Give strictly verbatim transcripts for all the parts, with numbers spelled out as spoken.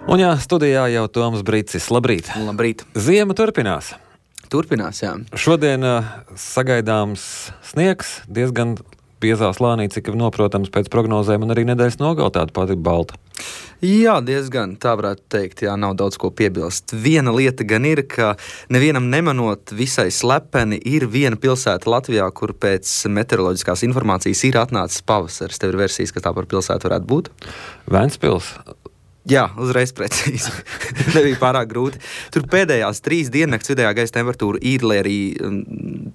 Un jā, studijā jau Toms Brīcis. Labrīt. Labrīt. Ziema turpinās. Turpinās, jā. Šodien uh, sagaidāms sniegs, diezgan biezā slānī, cik noprotams pēc prognozēm, un arī nedēļas nogalē tāda pati balta. Jā, diezgan, tā varētu teikt, jā, nav daudz ko piebilst. Viena lieta gan ir, ka nevienam nemanot visai slepeni ir viena pilsēta Latvijā, kur pēc meteoroloģiskās informācijas ir atnācis pavasaris. Tev ir versijas, ka tā par pilsētu varētu būt? Ventspils. Jā, uzreiz precīzi. Nebija pārāk grūti. Tur pēdējās trīs diennakts vidējā gaisa temperatūra ir, lai arī um,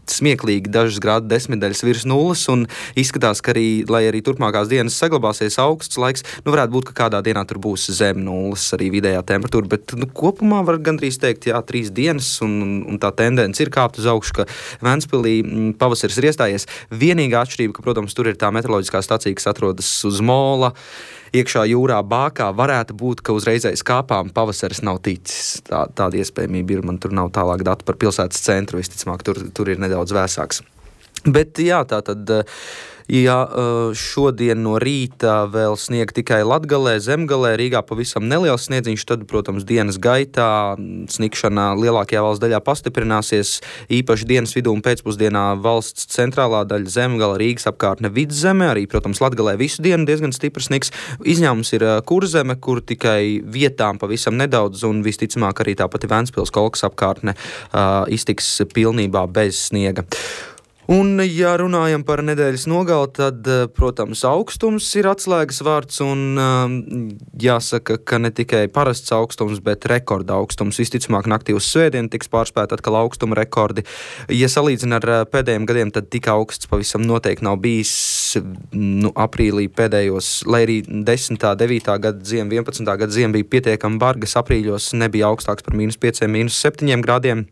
smieklīgi dažas grādu desmitdaļas virs nulles, un izskatās, ka arī, lai arī turpmākās dienas saglabāsies augsts laiks, nu varētu būt, ka kādā dienā tur būs zem nulles arī vidējā temperatūra, bet nu, kopumā var gandrīz teikt, jā, trīs dienas, un, un tā tendence ir kāpt uz augšu, ka Ventspilī pavasaris ir iestājies. Vienīgā atšķirība, ka, protams, tur ir tā meteoroloģiskā stacija, kas atrodas uz mola, iekšā jūrā bākā, varētu būt, ka uzreizais kāpām pavasaris nav ticis. Tā, tāda iespējamība ir, man tur nav tālāk datu par pilsētas centru, visticamāk, tur, tur ir nedaudz vēsāks. Bet jā, tā tad, ja šodien no rīta vēl snieg tikai Latgalē, Zemgalē, Rīgā pavisam neliels sniedziņš, tad, protams, dienas gaitā snikšana lielākajā valsts daļā pastiprināsies, īpaši dienas vidū un pēcpusdienā valsts centrālā daļa Zemgala, Rīgas apkārtne Vidzeme, arī, protams, Latgalē visu dienu diezgan stiprs sniks. Izņēmums ir Kurzeme, kur tikai vietām pavisam nedaudz, un visticamāk arī tā pati Ventspils Kolkas apkārtne uh, iztiks pilnībā bez sniega. Un, ja runājam par nedēļas nogali, tad, protams, augstums ir atslēgas vārds, un um, jāsaka, ka ne tikai parasts augstums, bet rekorda augstums. Visticamāk, naktī uz svētdienu tiks pārspēta atkal augstuma rekordi. Ja salīdzina ar pēdējiem gadiem, tad tik augsts pavisam noteikti nav bijis nu, aprīlī pēdējos, lai arī desmitā, devītā gada ziema, vienpadsmitā gada ziema bija pietiekami bargas, aprīļos nebija augstāks par mīnus pieciem, mīnus septiņiem grādiem.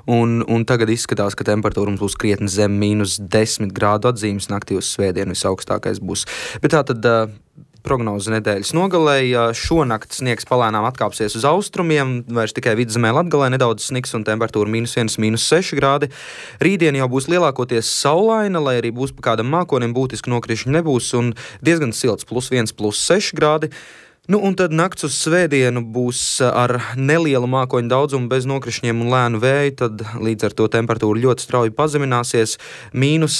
Un, un tagad izskatās, ka temperatūra mums būs krietni zem mīnus desmit grādu atzīmes, naktī uz svētdienu visaugstākais būs. Bet tā tad uh, prognoze nedēļas nogalē, šonakt sniegs palēnām atkāpsies uz austrumiem, vairs tikai Vidzemē Latgalē nedaudz sniks un temperatūra mīnus viens, mīnus seši grādi. Rītdien jau būs lielākoties saulaina, lai arī būs pa kādam mākonim būtiski nokrišņi nebūs un diezgan silts, plus viens, plus seši grādi. Nu, un tad nakts uz svētdienu būs ar nelielu mākoņu daudzumu, bez nokrišņiem un lēnu vēju, tad līdz ar to temperatūra ļoti strauji pazemināsies. Mīnus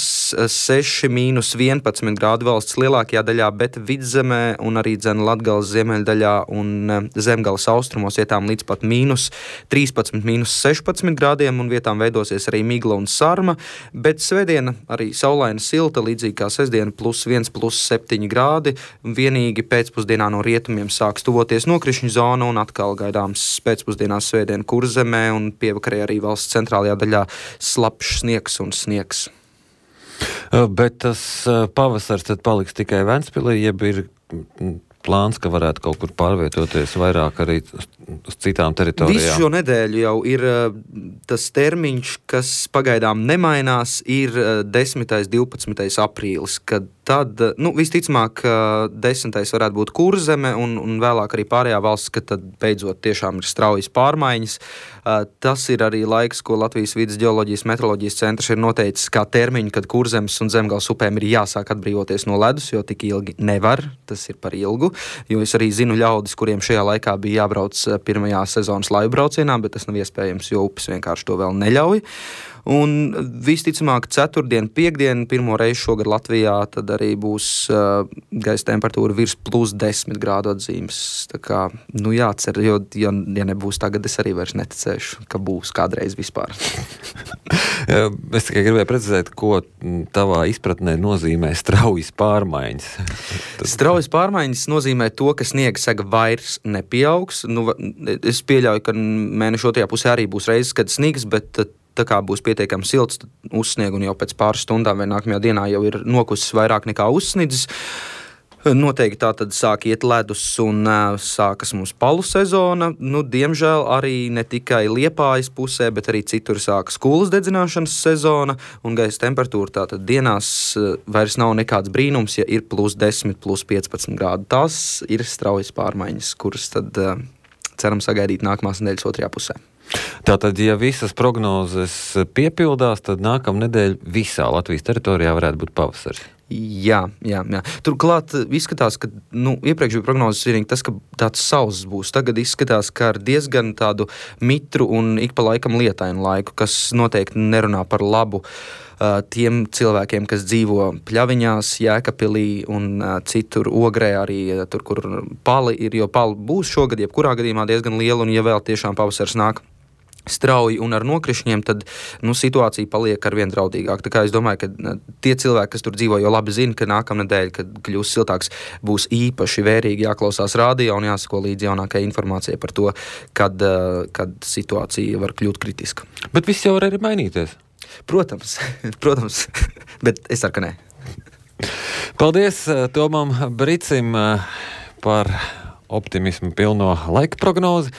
seši, mīnus vienpadsmit grādu valsts lielākajā daļā, bet Vidzemē un arī dzen Latgales ziemeļdaļā un Zemgales austrumos vietām līdz pat mīnus trīspadsmit, mīnus sešpadsmit grādiem, un vietām veidosies arī migla un sarma, bet svētdiena arī saulaina silta, līdzīgi kā sestdiena, plus viens, plus septiņi grādi, vienīgi pēcpusdienā no rietumiem sāks tuvoties nokrišņu zona un atkal gaidāms pēcpusdienās svētdien Kurzemē un pievakarē arī valsts centrālajā daļā slapjš sniegs un sniegs. Bet tas pavasars tad paliks tikai Ventspilī, jeb ir plāns, ka varētu kaut kur pārvietoties vairāk arī uz citām teritorijām? Visu šo nedēļu jau ir tas termiņš, kas pagaidām nemainās, ir desmitais, divpadsmitais aprīlis, kad tad, nu, visticamāk, desmitais varētu būt Kurzeme un, un vēlāk arī pārējā valsts, ka tad beidzot tiešām ir straujas pārmaiņas. Tas ir arī laiks, ko Latvijas vides ģeoloģijas meteoroloģijas centrs ir noteicis kā termiņu, kad Kurzemes un Zemgales upēm ir jāsāk atbrīvoties no ledus, jo tik ilgi nevar, tas ir par ilgu, jo es arī zinu ļaudis, kuriem šajā laikā bija jābrauc pirmajā sezonas laivu braucienā, bet tas nav iespējams, jo upes vienkārši to vēl neļauj. Un visticamāk ceturtdien, piekdien, pirmo reizi šogad Latvijā, tad arī būs uh, gaisa temperatūra virs plus desmit grādu atzīmes. Tā kā, nu jācer, jo, ja, ja nebūs tagad, es arī vairs neticēšu, ka būs kādreiz vispār. Es tikai gribēju precizēt, ko tavā izpratnē nozīmē straujas pārmaiņas. Straujas pārmaiņas nozīmē to, ka sniega sega vairs nepieaugs. Nu, es pieļauju, ka mēneša otrajā pusē arī būs reizes, kad snigs, bet tā kā būs pietiekami silts, uzsnieg un jau pēc pāris stundām vai nākamajā dienā jau ir nokusis vairāk nekā uzsnidzis. Noteikti tā tad sāk iet ledus un uh, sākas mums palu sezona. Nu, diemžēl arī ne tikai Liepājas pusē, bet arī citur sākas kūlas dedzināšanas sezona un gaisa temperatūra tātad dienās uh, vairs nav nekāds brīnums, ja ir plus desmit, plus piecpadsmit grādu. Tās ir straujas pārmaiņas, kuras tad uh, ceram sagaidīt nākamās nedēļas otrajā pusē. Tātad, ja visas prognozes piepildās, tad nākamnedēļ visā Latvijas teritorijā varētu būt pavasaris. Jā, jā, jā. Turklāt izskatās, ka nu, iepriekš bija prognozes vienīgi tas, ka tāds sauss būs. Tagad izskatās, ka ar diezgan tādu mitru un ik pa laikam lietainu laiku, kas noteikti nerunā par labu uh, tiem cilvēkiem, kas dzīvo Pļaviņās, Jēkabpilī un uh, citur Ogrē arī, uh, tur, kur pali ir, jo pali būs šogad, jebkurā gadījumā diezgan liela, un ja vēl tiešām pavasars nāk strauji un ar nokrišņiem, tad nu, situācija paliek arvien draudīgāk. Tā kā es domāju, ka tie cilvēki, kas tur dzīvo, jau labi zina, ka nākamnedēļ, kad kļūs siltāks, būs īpaši vērīgi jāklausās rādio un jāsako līdz jaunākai informācijai par to, kad, kad situācija var kļūt kritiska. Bet viss jau var arī mainīties. Protams, protams, bet es ceru, ka nē. Paldies Tomam Bricim par optimismu pilno laika prognozi.